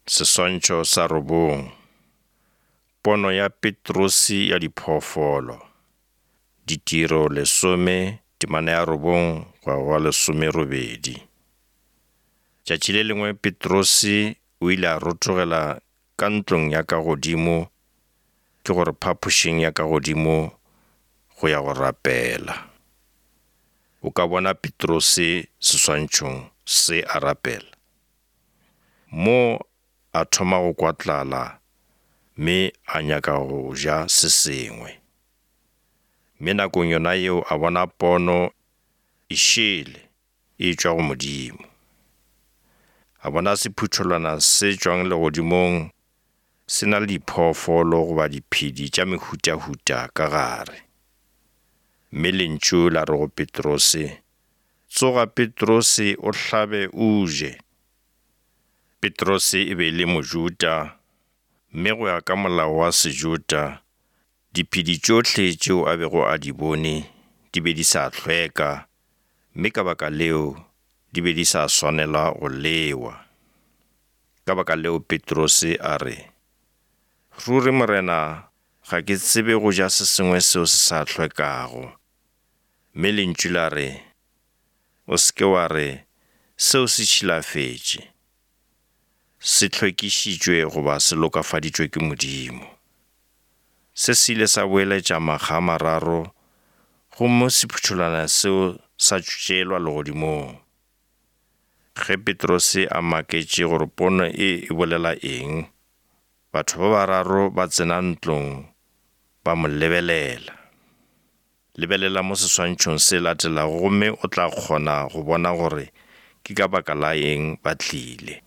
Seswantšho sa robong. Pono ya Petrose ya diphoofolo. Ditiro lesome, temana ya robong go ya go lesomerobedi. Tšatši le lengwe Petrose o ile a rotogela ka ntlong ya ka godimo, ke gore phapošing ya ka godimo, go ya go rapela. O ka bona Petrose seswantšhong se a rapela. Mo a thoma go kwa tlala mme a nyaka go ja se sengwe. Mme nakong yona yeo a bona pono e šele e etšwa go Modimo. A bona sephuthelwana se tšwang legodimong se na le diphoofolo goba diphedi tša mehutahuta ka gare. Mme lentšu la re go Petrose, Tsoga Petrose o hlabe o je. Petrose e be e le Mojuda, mme go ya ka molao wa Sejuda, diphedi tšohle tšeo a bego a di bone di be di sa hlweka, mme ka baka leo di be di sa swanela go lewa. Ka baka leo Petrose a re, Ruri Morena, ga ke tsebe go ja se sengwe seo se sa hlwekago. Mme lentšu la re, O se ke wa re, Seo se tšhilafetše. Se hlwekišitšwe goba se lokafaditšwe ke Modimo. Se se ile sa boeletša makga a mararo, gomme sephuthelwana seo sa tšeelwa legodimong. Ge Petrose a maketše gore pono e e bolela eng, batho ba bararo ba tsena ntlong ba mo lebelela. Lebelela mo seswantšhong se latelago gomme o tla kgona go bona gore ke ka baka la eng ba tlile.